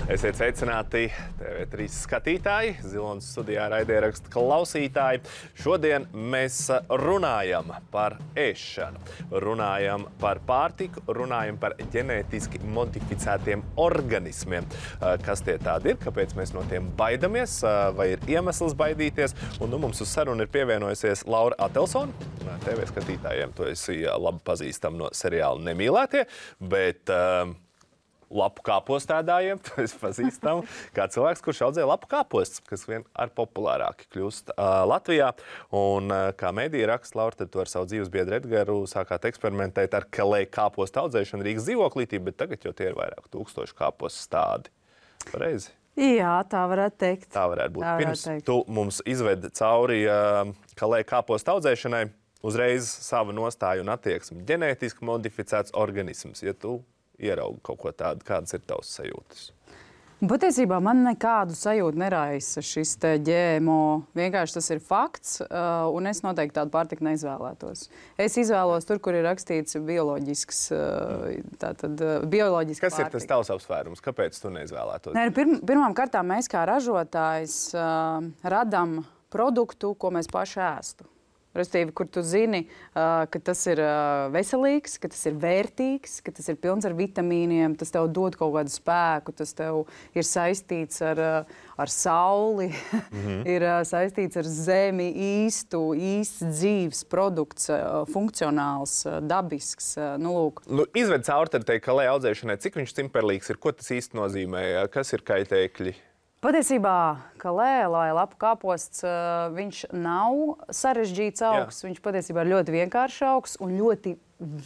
A: Esiet sveicināti T V trīs skatītāji, Zilonas studijā raidierakstu klausītāji. Šodien mēs runājam par ēšanu, runājam par pārtiku, runājam par ģenētiski modificētiem organismiem. Kas tie tādi ir, kāpēc mēs no tiem baidamies, vai ir iemesls baidīties. Un nu mums uz sarunu ir pievienojusies Laura Atelsone. T V skatītājiem to esi labi pazīstam no seriāla Nemīlētie, bet uh, lapu kāpostēdājiem to es pazīstam kā cilvēks, kurš audzē lapu kāpostus, kas vien ar populārāki kļūst uh, Latvijā. Un uh, kā medija raksta, Laura, tad tu ar savu dzīves biedru Edgaru sākāt eksperimentēt ar kalē kāpostu audzēšanu Rīgas dzīvoklītī, bet tagad jau tie ir vairāk tūkstoši kāpostu stádi. Pareizi?
E: Jā, tā varētu teikt.
A: Tā varētu būt.
E: Tā varētu
A: Pirms
E: teikt.
A: tu mums izvedi cauri uh, kalē kāpostu audzēšanai, uzreiz sava nostāja un attieksme. Ģenētiski modificēts organisms. Ja tu ieraugi kaut ko tādu, kādas ir tavas sajūtas?
E: Patiesībā man nekādu sajūtu neraisa šis te G M O. Vienkārši tas ir fakts, uh, un es noteikti tādu pārtiku neizvēlētos. Es izvēlos tur, kur ir rakstīts bioloģisks, uh, tātad uh, bioloģiski
A: Kas
E: pārtika.
A: ir tas tavs apsvērums? Kāpēc tu neizvēlētos?
E: Nē, pirm, pirmām kārtām mēs kā ražotājs uh, radam produktu, ko mēs paši ēstu. Restīvi, kur tu zini, uh, ka tas ir uh, veselīgs, ka tas ir vērtīgs, ka tas ir pilns ar vitamīniem, tas tev dod kaut kādu spēku, tas tev ir saistīts ar, uh, ar sauli, mm-hmm. ir uh, saistīts ar zemi, īstu, īsts dzīves produkts, uh, funkcionāls, uh, dabisks. Uh, nu, lūk.
A: Nu, izved cauri tai kalē audzēšanai, cik viņš cimperlīgs ir, ko tas īsti nozīmē, kas ir kaitēkļi?
E: Patiesībā, kalē, lai lapu kāposts, uh, viņš nav sarežģīts augs. Jā. Viņš patiesībā ir ļoti vienkāršs augs un ļoti,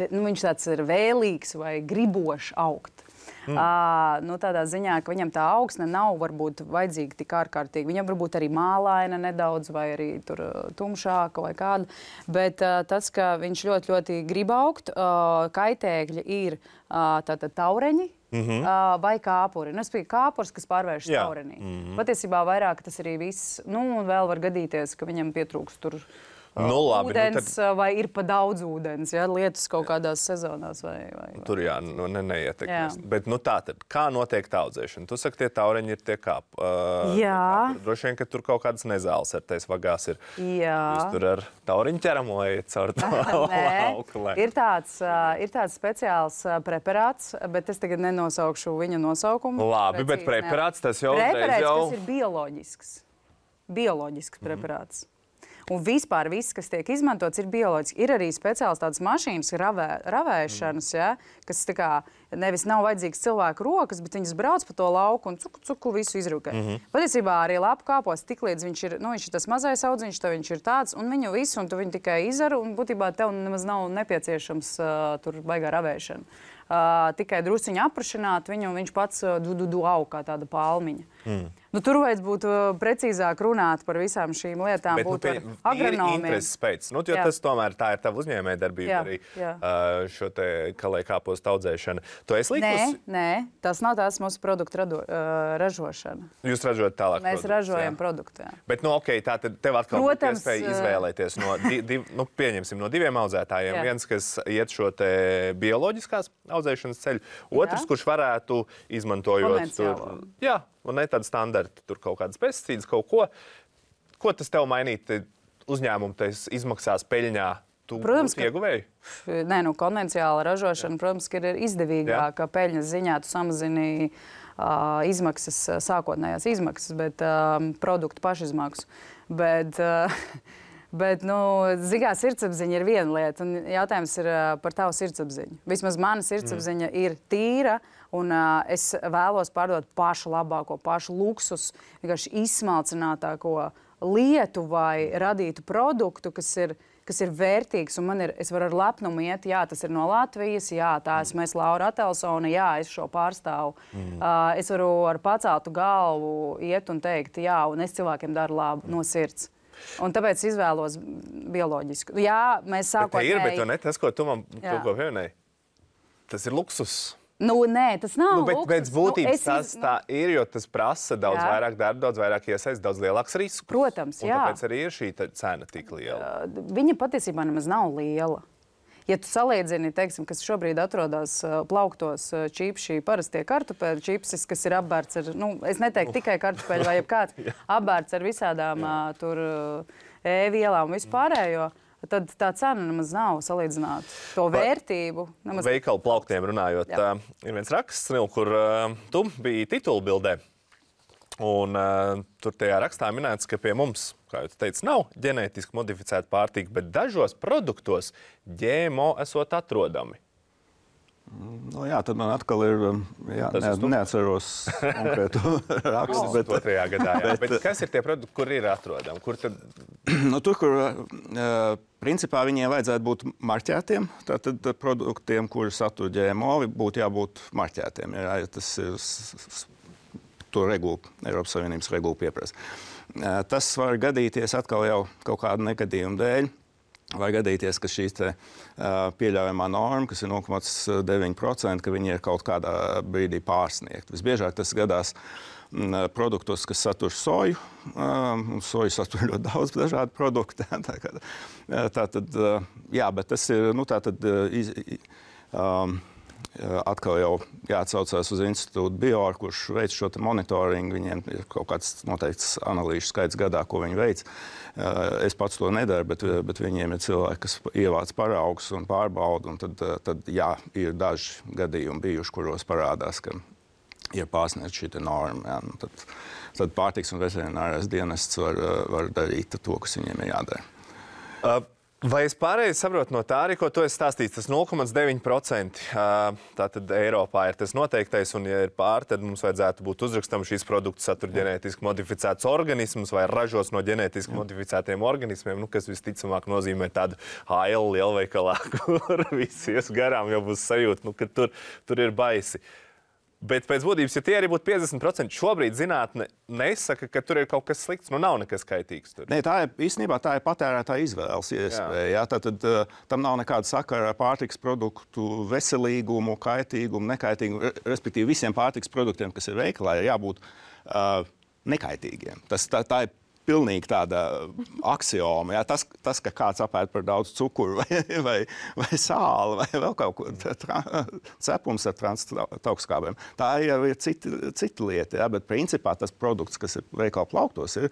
E: nu, viņš tāds ir vēlīgs vai gribošs augt. Mm. Uh, nu, tādā ziņā, ka viņam tā augsne nav varbūt vajadzīga tik ārkārtīgi. Viņam varbūt arī mālaina nedaudz vai arī tur tumšāka vai kāda. Bet uh, tas, ka viņš ļoti, ļoti grib augt, uh, kaitēkļi ir uh, tātad taureņi. Mm-hmm. Uh, vai kāpuri. Nu, es biju kāpurs, kas pārvēršas taurenī. Mm-hmm. Patiesībā vairāk tas arī viss. Nu, un vēl var gadīties, ka viņam pietrūks tur uh,
A: nu, labi,
E: ūdens,
A: nu, tad...
E: vai ir pa daudz ūdens, ja, lietus kaut kādās sezonās. Vai, vai, vai.
A: Tur jā, nu, ne, neietekmēs. Bet nu, tā tad, kā notiek tā audzēšana? Tu saki, tie taureņi ir tie kāp. Uh,
E: jā.
A: Kāpuri. Droši vien, ka tur kaut kādas nezāles ar tais vagās ir.
E: Jā.
A: Jūs tur ar tauriņu ķeramu vai caur to lauku?
E: Ir tāds, uh, ir tāds speciāls uh, preparāts, bet es tagad nenosaukšu viņa nosaukumu.
A: Labi, bet preparāts tas jau
E: preparāts,
A: jau...
E: kas ir bioloģisks. Bioloģisks mm. preparāts. Un vispār viss, kas tiek izmantots, ir bioloģiski. Ir arī speciāls tādas mašīnas, ravē, ravēšanas, mm. ja, kas tā kā nevis nav vajadzīgs cilvēku rokas, bet viņas brauc pa to lauku un cuku, cuku visu izrūkē. Mm-hmm. Patiesībā arī lapu kāpos tik līdz viņš ir, nu, viņš ir tas mazais audziņš, tad viņš ir tāds, un viņu visu, un tu viņu tikai izaru, un būtībā tev nemaz nav nepieciešams uh, tur baigā ravēšana. Uh, tikai drusciņi aprašināt viņu, un viņš pats uh, du, du, du aug kā tāda palmiņa. Mm. Nu, tur vajadz būt uh, precīzāk runāt par visām šīm lietām,
A: bet,
E: būt
A: nu,
E: ar agronomiem.
A: Ir intereses pēc. Nu, jo jā. Tas tomēr tā ir tava uzņēmējdarbība arī
E: jā.
A: Uh, šo te kalē kāpostu audzēšana. Tu esi līkus?
E: Nē, nē, tas nav tās mūsu produktu rado, uh, ražošana.
A: Jūs ražojat tālāk
E: Mēs
A: produktus,
E: ražojam
A: jā.
E: Produktu, jā.
A: Bet, nu, ok, tā tad tev atkal
E: Protams,
A: būtu iespēja izvēlēties no, di, div, nu, pieņemsim, no diviem audzētājiem.
E: Jā.
A: Viens, kas iet šo te bioloģiskās audzēšanas ceļu, otrs,
E: jā.
A: Kurš varētu izmantojot tur, jā, un ne tādu standartu, tur kaut kādas pesticīdas, kaut ko. Ko tas tev mainīt uzņēmumu, tas izmaksās peļņā? Tu
E: protams, ka
A: ieguvēji?
E: Nē, nu, konvencionāla ražošana, jā. Protams, ka ir izdevīgāka peļņas ziņā. Tu samazini uh, izmaksas, sākotnējās izmaksas, bet uh, produktu pašizmaksu. Bet, uh, bet nu, zigā sirdsapziņa ir viena lieta, un jautājums ir uh, par tavu sirdsapziņu. Vismaz mana sirdsapziņa mm. ir tīra, un uh, es vēlos pārdot pašu labāko, pašu luksus, vienkārši izsmalcinātāko lietu vai radītu produktu, kas ir kas ir vērtīgs, un man ir, es varu ar lepnumu iet, jā, tas ir no Latvijas, jā, tā esmu es Laura Atelsone, jā, es šo pārstāvu. Mm. Uh, es varu ar paceltu galvu iet un teikt, jā, un es cilvēkiem daru labu no sirds. Un tāpēc izvēlos bioloģisku. Jā, mēs sākotnēji...
A: Bet ir, bet ne tas, ko tu man to ko pieminēji, tas ir luksus.
E: Nu, nē, tas nav
A: nu, bet,
E: luksus.
A: pēc būtības
E: nu,
A: tas tā ir, jo tas prasa daudz
E: jā.
A: vairāk darba, daudz vairāk iesaist, daudz lielāks risks.
E: Protams,
A: un
E: jā.
A: Tāpēc arī ir šī cena tik liela.
E: Uh, viņa patiesībā nemaz nav liela. ja tu salīdzini, teiksim, kas šobrīd atrodas uh, plauktos uh, čipši, parastie kartupeļu čipsis, kas ir apbērts ar, nu, es neteiktu tikai kartupeļu vai jebkāds, apbērts ar visādām uh, tur uh, e-vielām un vispārējo, tad tā cena nemaz nav salīdzināt to vērtību. Nemaz...
A: Veikalu plauktiem runājot, uh, ir viens raksts, Nil, kur uh, tu biji titulbildē. Un uh, tur tajā rakstā minēts, ka pie mums, kā jau tu teici, nav ģenētiski modificēta pārtika, bet dažos produktos G M O esot atrodami.
C: Nu, jā, tad man atkal ir, jā, ne, neatceros konkrētu rakstu.
A: Bet otrajā gadā, jā. Bet, bet kas ir tie produkti, kur ir atrodami? Kur tad...
C: Nu, tur, kur uh, principā viņiem vajadzētu būt marķētiem, tātad produktiem, kuri satur G M O, būtu jābūt marķētiem. Jā, ja tas ir... To regulu, Eiropas Savienības regulu pieprasa. Tas var gadīties atkal jau kaut kādu negadījumu dēļ. Var gadīties, ka šī te, uh, pieļaujamā norma, kas ir nulle komats deviņi procenti, ka viņi ir kaut kādā brīdī pārsniegt. Visbiežāk tas gadās m, produktos, kas satur soju. Uh, soju satur ļoti daudz dažādu produktu. tā, kā, tā tad, uh, jā, bet tas ir, nu, tā tad, uh, iz, um, atkal jau jāatsaucās uz institūtu Bior, kurš veic šo monitoringu. Viņiem ir kaut kāds noteikts analīžu skaits gadā, ko viņi veic. Es pats to nedaru, bet, bet viņiem ir cilvēki, kas ievāc paraugus un pārbauda. Un tad, tad jā, ir daži gadījumi bijuši, kuros parādās, ka ir pārsniegta šī norma. Jā. Tad, tad pārtiks un veterinārais dienests var, var darīt to, kas viņiem ir jādara.
A: Uh. Vai es pareizi saprotu no tā arī, ko tu esi stāstījis, tas nulle komats deviņi procenti, tātad Eiropā ir tas noteiktais, un ja ir pār, tad mums vajadzētu būt uzrakstam šīs produktus satur ģenētiski modificēts organisms vai ražos no ģenētiski modificētiem organismiem, nu, kas visticamāk nozīmē tādu H L lielveikalā, kur visi ies garām, jau būs sajūta, nu, ka tur, tur ir baisi. Bet pēc būtības, ja tie arī būtu piecdesmit procenti, šobrīd zinātne nesaka, ka tur ir kaut kas slikts, nu nav nekas kaitīgs tur.
C: Nē, tā ir īstenībā tā ir patērētāja izvēles iespēja. Jā. Jā, tātad uh, tam nav nekāda sakara ar pārtiks produktu veselīgumu, kaitīgumu, nekaitīgumu. Respektīvi, visiem pārtiks produktiem, kas ir veikalā, ir jābūt uh, nekaitīgiem. Tas, tā, tā ir pilnīgi tāda aksioma. Jā, tas, tas, ka kāds apēd par daudz cukuru vai, vai, vai sāli vai vēl kaut ko, cepums ar transtaukskābēm. Tā jau ir cita, cita lieta, jā, bet principā tas produkts, kas ir veikala plauktos, ir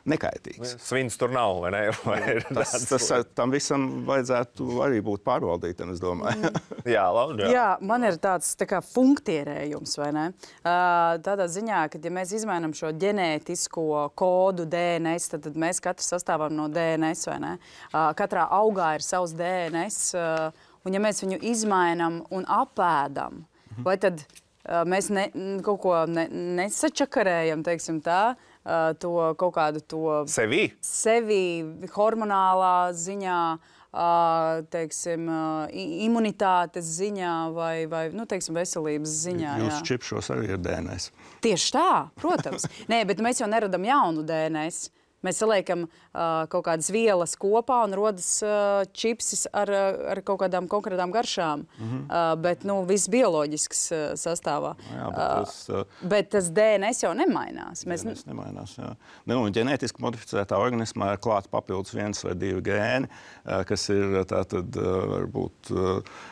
C: nekaitīgs.
A: Svins tur nav, vai ne? Vai ir
C: tas, tas, tam visam vajadzētu arī būt pārvaldītam, es domāju.
A: jā, labi. Jā.
E: jā, man ir tāds tā kā funktierējums, vai ne? Uh, tādā ziņā, ka ja mēs izmainām šo ģenētisko kodu D N S, tad, tad mēs katrs sastāvam no D N S, vai ne? Uh, katrā augā ir savs D N S, uh, un ja mēs viņu izmainām un apēdam, mhm. vai tad uh, mēs ne, kaut ko ne, nesačakarējam, teiksim tā, Uh, to kaut kādu to
A: sevi,
E: sevi hormonālā ziņā, uh, teiksim, uh, imunitātes ziņā vai, vai nu, teiksim, veselības ziņā.
C: Jūsu čipšos arī ir D N S.
E: Tieši tā, protams. Nē, bet mēs jau neradam jaunu D N S. Mēs saliekam uh, kaut kādas vielas kopā un rodas uh, čipsis ar, ar kaut kādām konkrētām garšām. Mm-hmm. uh, bet nu, viss bioloģisks uh, sastāvā.
C: Jā, bet, tas, uh,
E: bet tas D N S jau nemainās. Mēs...
C: D N S nemainās, jā. Nu, ģenētiski modificētā organismā ir klāt papildus viens vai divi gēni, uh, kas ir tātad uh, varbūt uh,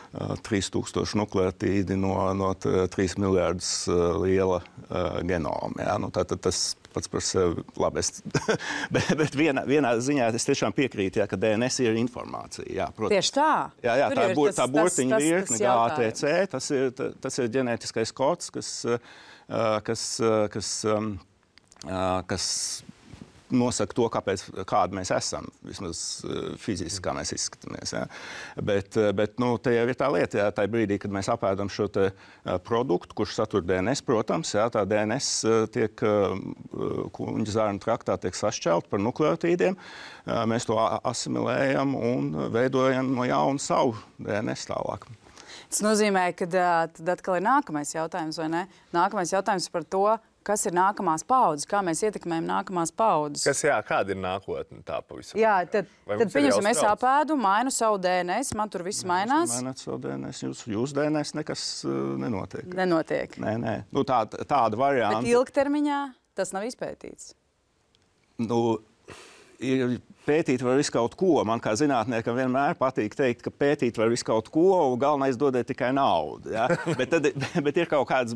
C: trīs tūkstoši nukleotīdi no, no trīs miljārdus uh, liela uh, genoma. Jā. Nu, tātad tas pats par sevi labi. Es, bet bet vienā, vienā ziņā es tiešām piekrītu, jā, ka D N S ir informācija. Jā,
E: tieši tā.
C: Jā, jā, tā, bur,
E: tas,
C: tā burtiņa
E: tas,
C: virkne, G A T C, tas ir, tas ir ģenētiskais kods, kas, kas, kas, kas nosaka to, kāpēc, kāda mēs esam, vismaz fiziski, kā mēs izskatāmies. Ja. Bet, bet nu, te jau ir tā lieta, ja, tā brīdī, kad mēs apēdam šo te produktu, kurš satur D N S, protams, ja, tā D N S tiek kuņģa zārnu traktā tiek sašķelt par nukleotīdiem, mēs to asimilējam un veidojam no jauna savu D N S tālāk.
E: Tas nozīmē, ka tad atkal ir nākamais jautājums, vai ne? Nākamais jautājums par to, kas ir nākamās paudzes, kā mēs ietekmējam nākamās paudzes.
A: Kas, jā, kāda ir nākotne tā pavisam?
E: Jā, tad, tad pieņemsim, es apēdu, mainu savu D N S, man tur viss mainās.
C: Maināt savu D N S, jūs, jūs D N S nekas uh, nenotiek.
E: Nenotiek.
C: Nē, nē. Nu, tā, tāda varianta.
E: Bet ilgtermiņā tas nav izpētīts.
C: Nu, ir pētīt var visu kaut ko. Man kā zinātniekam vienmēr patīk teikt, ka pētīt var visu kaut ko, un galvenais dodiet tikai naudu. Ja? bet, tad, bet ir kaut kāds,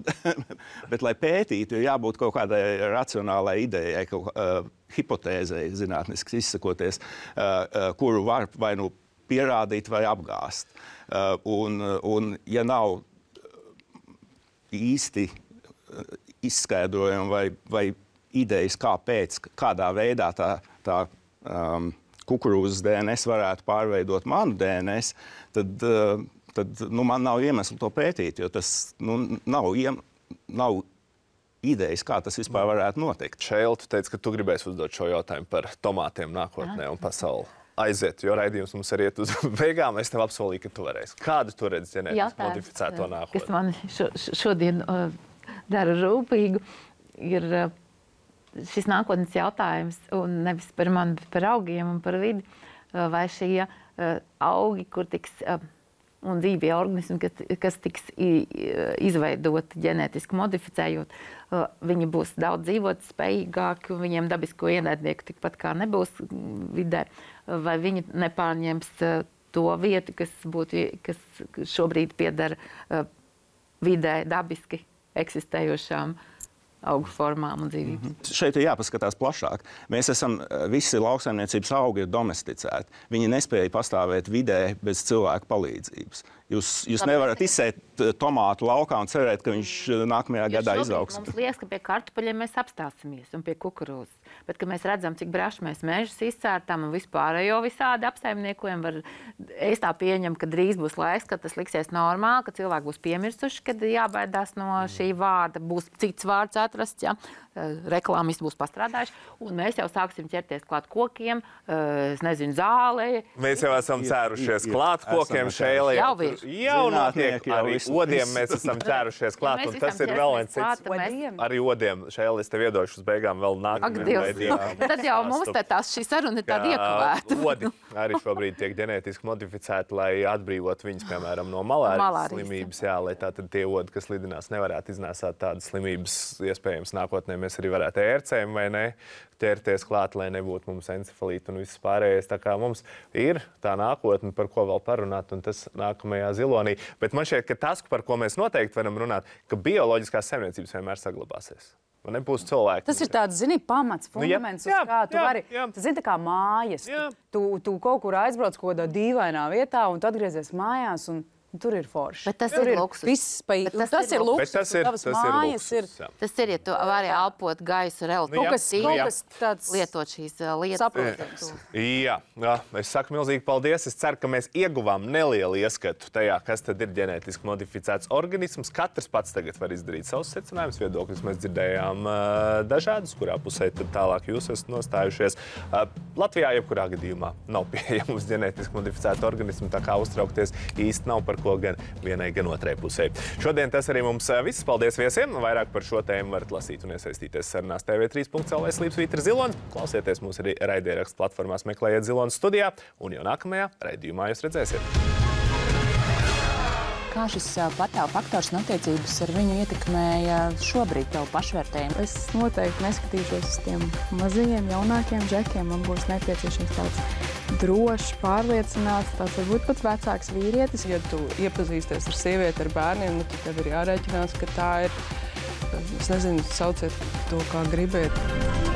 C: bet lai pētītu, ir jābūt kaut kādai racionālai idejai, kaut uh, hipotēzei, zinātniski izsakoties, uh, uh, kuru var vai nu pierādīt vai apgāst. Uh, un, un ja nav īsti izskaidrojumi vai, vai idejas, kāpēc, kādā veidā tā, tā Um, kukurūzas D N S varētu pārveidot manu D N S, tad, uh, tad nu, man nav iemeslu to pētīt, jo tas nu, nav, iem, nav idejas, kā tas vispār varētu notikt.
A: Šēl, tu teici, ka tu gribēsi uzdot šo jautājumu par tomātiem nākotnē un pasauli. Aiziet, jo raidījums mums arī iet uz beigām. Es tev apsolīju, ka tu varēsi. Kādu tu redzi ģenētiski modificēto nākotni?
B: Kas man šo, šodien uh, dara rūpīgu, ir uh, šis nākotnes jautājums, un nevis par mani, bet par augiem un par vidi, vai šie uh, augi, kur tiks, uh, un dzīvie organismi, kas, kas tiks izveidoti ģenētiski modificējot, uh, viņi būs daudz dzīvot spējīgāki, un viņiem dabisko ienaidnieku tikpat kā nebūs vidē, vai viņi nepārņems uh, to vietu, kas, būtu, kas šobrīd piedara uh, vidē dabiski eksistējošām augu formām un dzīvības.
C: Mm-hmm. Šeit ir jāpaskatās plašāk. Mēs esam, visi lauksaimniecības augi ir domesticēti. Viņi nespēja pastāvēt vidē bez cilvēku palīdzības. Jūs, jūs nevarat izsēt tomātu laukā un cerēt, ka viņš nākamajā jo gadā izaugs.
B: Mums liekas, ka pie kartupeļiem mēs apstāsimies un pie kukurūzas. Bet, kad mēs redzam, cik braši mēs mežus izcērtam un vispārējo visādi apsaimniekojam, var, es tā pieņemu, ka drīz būs laiks, kad tas liksies normāli, ka cilvēki būs piemirsuši, kad jābaidās no šī vārda, būs cits vārds atrasts, ja? Reklāmisti būs pastrādājuši, un mēs jau sāksim ķerties klāt kokiem, es nezinu, zālē.
A: Mēs jau esam cērušies klāt kokiem, šēlē.
B: Jau ir.
A: Jau notiek, arī odiem mēs esam cērušies klāt, un tas ir vēl viens cits. Arī odiem, šēlē, es tev iedošu uz beigām vēl nākamajam raidījumam.
B: Tad jau mums te tās šī saruna ir tāda iekavēta.
A: Odi arī šobrīd tiek ģenētiski modificēti, lai atbrīvot viņus, piemēram, no malārijas slimības, jā, lai tātad tie odi, kas lidinās, nevarētu iznēsāt tādas slimības, iespējams, nākotnē mēs arī varētu ērcēm vai ne ķerties klāt, lai nebūtu mums encefalīti un viss pārējais. Tā kā mums ir tā nākotne, par ko vēl parunāt, un tas nākamajā zilonī. Bet man šķiet, ka tas, par ko mēs noteikti varam runāt, ka bioloģiskās saimniecības vienmēr saglabāsies. Man nebūs cilvēki.
E: Tas ir tāds, zini, pamats, fundaments, nu, jā, uz kā tu jā, vari, jā. Tas zini, tā kā mājas. Tu, tu kaut kur aizbrauc kaut kādā dīvainā vietā, un tu atgriezies mājās, un tur ir forši.
B: Bet tas
E: tur
B: ir luksus.
E: Viss, pa...
B: tas,
E: tas ir luksus.
A: Tas ir, tas ir luksus.
B: Ir. Tas ir, ja tu vari elpot gaisu relatīvi.
E: Nu, kaut kas, kaut kas tāds
B: lietot šīs lietas.
E: Saprotams.
A: Jā, jā, es saku milzīgi paldies. Es ceru, ka mēs ieguvām nelielu ieskatu tajā, kas tad ir ģenētiski modificēts organisms. Katrs pats tagad var izdarīt savus secinājumus, viedokļus. Mēs dzirdējām uh, dažādus, kurā pusē tad tālāk jūs esat nostājušies. Uh, Latvijā jebkurā gadījumā nav pieejams ģenētiski modificēti organismi, tā kā uztraukties īsti nav par ko gan vienai, gan otrai pusē. Šodien tas arī mums viss. Paldies viesiem. Vairāk par šo tēmu varat lasīt un iesaistīties sarunās T V trīs punkt L V slīpsvītra Zilons. Klausieties mūs arī raidierakstu platformās, meklējiet Zilons studijā, un jau nākamajā raidījumā jūs redzēsiet.
E: Kā šis patēvu faktors un attiecības ar viņu ietekmēja šobrīd tavu pašvērtējumu?
F: Es noteikti neskatīšos uz tiem mazajiem, jaunākiem džekiem. Man būs nepieciešams tāds drošs, pārliecināts, tāds varbūt pat vecāks vīrietis. Ja tu iepazīsties ar sievieti, ar bērniem, nu, tad tev ir jārēķinās, ka tā ir, es nezinu, sauciet to, kā gribiet.